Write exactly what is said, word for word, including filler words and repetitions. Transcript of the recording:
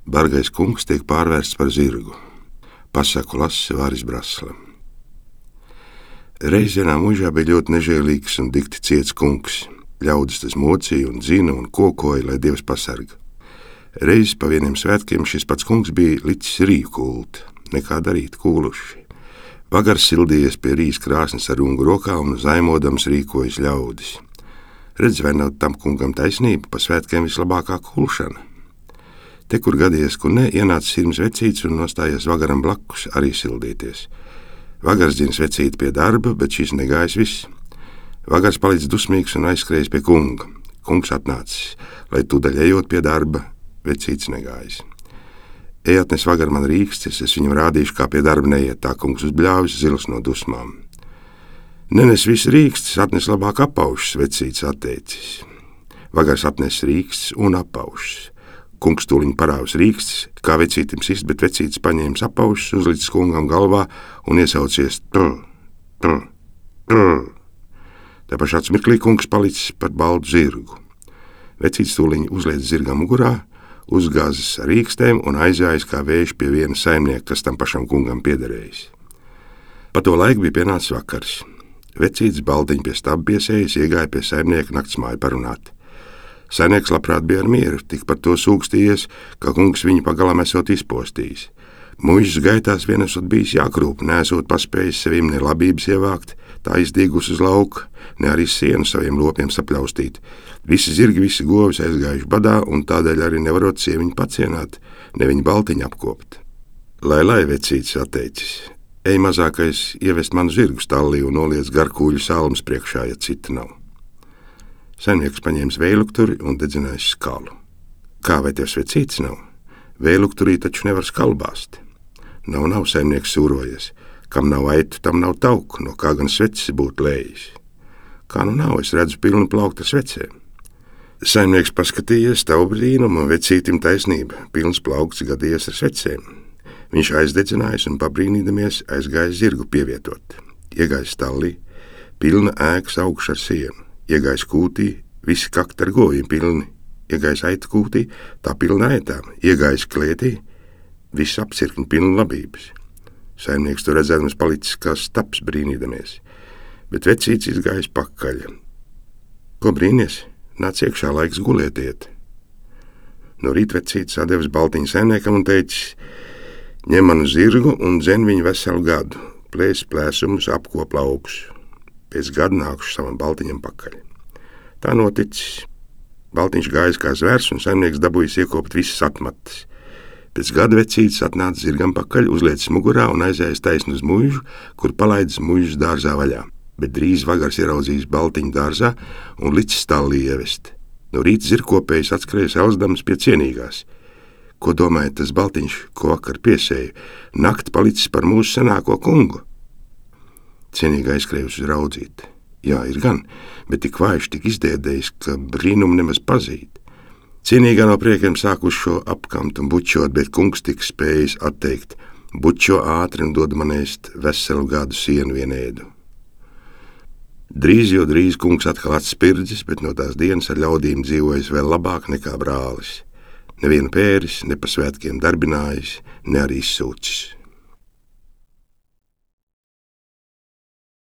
Bargais kungs tiek pārvērsts par zirgu. Pasaku lase Vāris Brasla. Reiz vienā mūžā bija ļoti nežēlīgs un dikti ciets kungs. Ļaudis tas mocīja un dzina un kokoja, lai Dievs pasarga. Reiz pa vieniem svētkiem šis pats kungs bija licis rīju kulti. Nekā darīt, kūluši. Vagars sildījies pie rīs krāsnes ar rungu rokā un zaimodams rīkojas ļaudis. Redz, vai nav tam kungam taisnība, pa svētkiem vislabākā kulšana. Te, kur gadījies, kur ne, ienāca sirms vecīts un nostājies vagaram blakus arī sildīties. Vagars dzina vecīti pie darba, bet šis negājis viss. Vagars palicis dusmīgs un aizskrējis pie kunga. Kungs atnācis, lai tūdaļ ejot pie darba, vecīts negājis. Ej atnes vagar man rīkstis, es viņam rādīšu, kā pie darba neiet, tā kungs uzbļāvis zils no dusmām. Nenes visu rīkstis, atnes labāk apaušas, vecīts atteicis. Vagars atnes rīkstis un apaušas. Kungs tūliņ parāvis rīkstis, kā vecītim sist, bet vecītis paņēmis apaušas, uzlicis kungam galvā un iesaucies trr, trr, trr. Tā pašā mirklī kungs palicis par baltu zirgu. Vecītis tūliņ uzliec zirgam mugurā, uzgāzis ar rīkstēm un aizjājis kā vējš pie viena saimnieka, kas tam pašam kungam piederējis. Pa to laiku bija pienācis vakars. Vecītis baltiņu pie staba piesējis, iegāja pie saimnieka naktsmāju parunāt. Saimnieks labprāt bija ar mieru, tik par to sūkstījies, ka kungs viņu pagalam esot izpostījis. Muižas gaitās vien esot bijis jākrūp, neesot paspējis sevim ne labības ievākt, tā izdīgus uz lauka, ne arī sienu saviem lopiem sapļaustīt. Visi zirgi, visi govis aizgājuši badā, un tādēļ arī nevarot sieviņu pacienāt, ne viņu baltiņu apkopt. Lai, lai, vecītis atteicis, ej mazākais ievest manu zirgu stallī un noliec garkūļu salmas priekšā, ja cita nav. Saimnieks paņēmis vējlukturi un dedzinājis skalu. Kā, vai tev vecītis nav? Vējlukturī taču nevar skalu bāzt. Nav, nav, saimnieks sūrojies. Kam nav aitu, tam nav tauku, no kā gan svecis būtu lējis. Kā nu nav, es redzu pilnu plauktu ar svecēm. Saimnieks paskatījies tavu brīnumu, vecītim taisnība, pilns plaukts gadījies ar svecēm. Viņš aizdedzinājis un pabrīnīdamies aizgājis zirgu pievietot. Iegājis stallī, pilna ēkas augša ar sienu. Iegājis kūtī, visi kakti ar govīm pilni. Iegājis aitu kūtī, tā pilna aitām. Iegājis klētī, viss apcirkņi pilni labības. Saimnieks to redzēdams palicis kā staps brīnīdamies, bet vecīts izgājis pakaļ. Ko brīnies? Nāc iekšā, laiks gulietiet. No rīta vecīts atdevis baltiņu saimniekam un teicis: ņem manu zirgu un dzen viņu veselu gadu, plēs plēsumus, apkop laukus. Pēc gada nākuši savam baltiņam pakaļ. Tā noticis. Baltiņš gājis kā zvērs un saimnieks dabūjis iekopt visas atmatas. Pēc gada vecītis atnāca zirgam pakaļ, uzliecis mugurā un aizējis taisnu uz muižu, kur palaidis muižas dārzā vaļā. Bet drīz vagars ieraudzījis baltiņu dārzā un licis stallī ievest. No rīta zirgkopējs atskrējas elzdams pie cienīgās. Ko domājat tas baltiņš, ko vakar piesēja? Nakti palicis par mūsu senāko kungu. Cienīgi aizskrējusi uz raudzīt. Jā, ir gan, bet tik vājš, tik izdiedējis, ka brīnumu nemaz pazīt. Cienīgā no priekiem sākuši šo apkamt un bučot, bet kungs tik spējis atteikt: bučo ātri un dod man ēst veselu gadu sienu vienēdu. Drīz, jo drīz kungs atkal atspirdzis, bet no tās dienas ar ļaudīm dzīvojis vēl labāk nekā brālis. Nevienu pēris, ne pa svētkiem darbinājis, ne arī izsūcis.